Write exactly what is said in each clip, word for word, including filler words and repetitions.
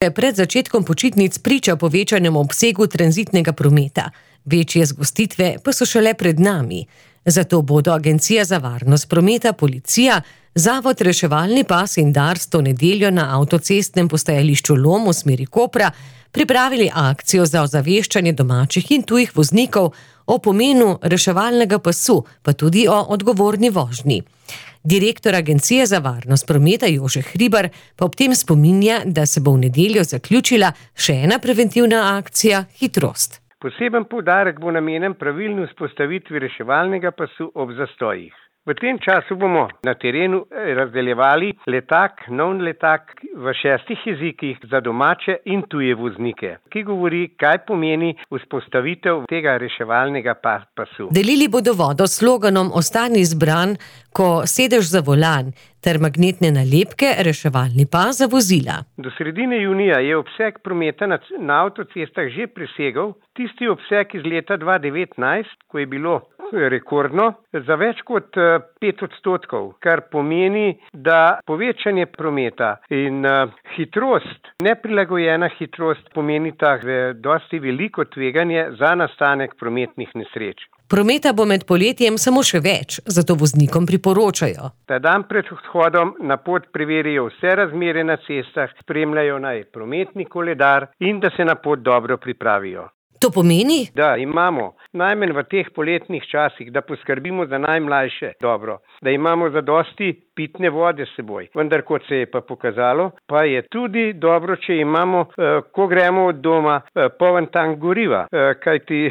Pred začetkom počitnic priča povečanemu obsegu tranzitnega prometa. Večje zgostitve pa so šele pred nami. Zato bodo Agencija za varnost prometa, policija, Zavod Reševalni pas in Dars to nedeljo na avtocestnem postajališču Lom v smeri Kopra pripravili akcijo za ozaveščanje domačih in tujih voznikov o pomenu reševalnega pasu, pa tudi o odgovorni vožnji. Direktor Agencije za varnost prometa Jože Hribar pa ob tem spominja, da se bo v nedeljo zaključila še ena preventivna akcija Hitrost. Poseben poudarek bo namenjen pravilni vzpostavitvi reševalnega pasu ob zastojih. V tem času bomo na terenu razdeljevali letak, nov letak v šestih jezikih za domače in tuje voznike, ki govori, kaj pomeni vzpostavitev tega reševalnega pasu. Delili bodo vodo s sloganom Ostani zbran, ko sedeš za volan, ter magnetne nalepke Reševalni pas za vozila. Do sredine junija je obseg prometa na, na avtocestah že presegel tisti obseg iz leta dva tisoč devetnajst, ko je bilo rekordno, za več kot pet odstotkov, kar pomeni, da povečanje prometa in uh, hitrost, neprilagojena hitrost pomeni tako dosti veliko tveganje za nastanek prometnih nesreč. Prometa bo med poletjem samo še več, zato voznikom priporočajo. Ta dan pred odhodom na pot preverijo vse razmere na cestah, spremljajo naj prometni koledar in da se na pot dobro pripravijo. To pomeni? Da imamo najmanj v teh poletnih časih, da poskrbimo za najmlajše dobro, da imamo zadosti pitne vode s seboj. Vendar, kot se je pa pokazalo, pa je tudi dobro, če imamo, eh, ko gremo od doma, eh, poln tank goriva. Eh, kajti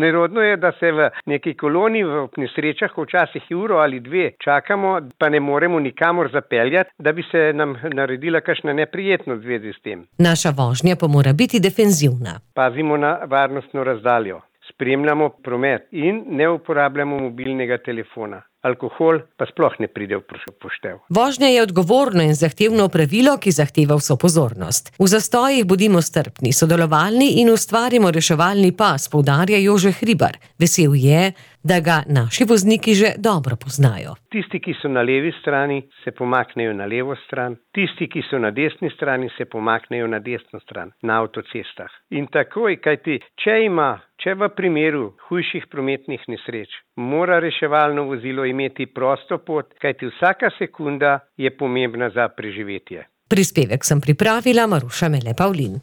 nerodno je, da se v neki koloni v nesrečah včasih uro ali dve čakamo, pa ne moremo nikamor zapeljati, da bi se nam naredila kakšna neprijetnost v zvezi s tem. Naša vožnja pa mora biti defenzivna. Pazimo na varnostno razdaljo, spremljamo promet in ne uporabljamo mobilnega telefona. Alkohol pa sploh ne pride v poštev. Vožnja je odgovorno in zahtevno pravilo, ki zahteva vso pozornost. V zastojih bodimo strpni, sodelovalni in ustvarimo reševalni pas, poudarja Jože Hribar. Vesel je, da ga naši vozniki že dobro poznajo. Tisti, ki so na levi strani, se pomaknejo na levo stran. Tisti, ki so na desni strani, se pomaknejo na desno stran, na avtocestah. In takoj, kajti, če ima, če v primeru hujših prometnih nesreč, mora reševalno vozilo imeti prosto pot, kajti vsaka sekunda je pomembna za preživetje. Prispevek sem pripravila Maruša Mele Pavlin.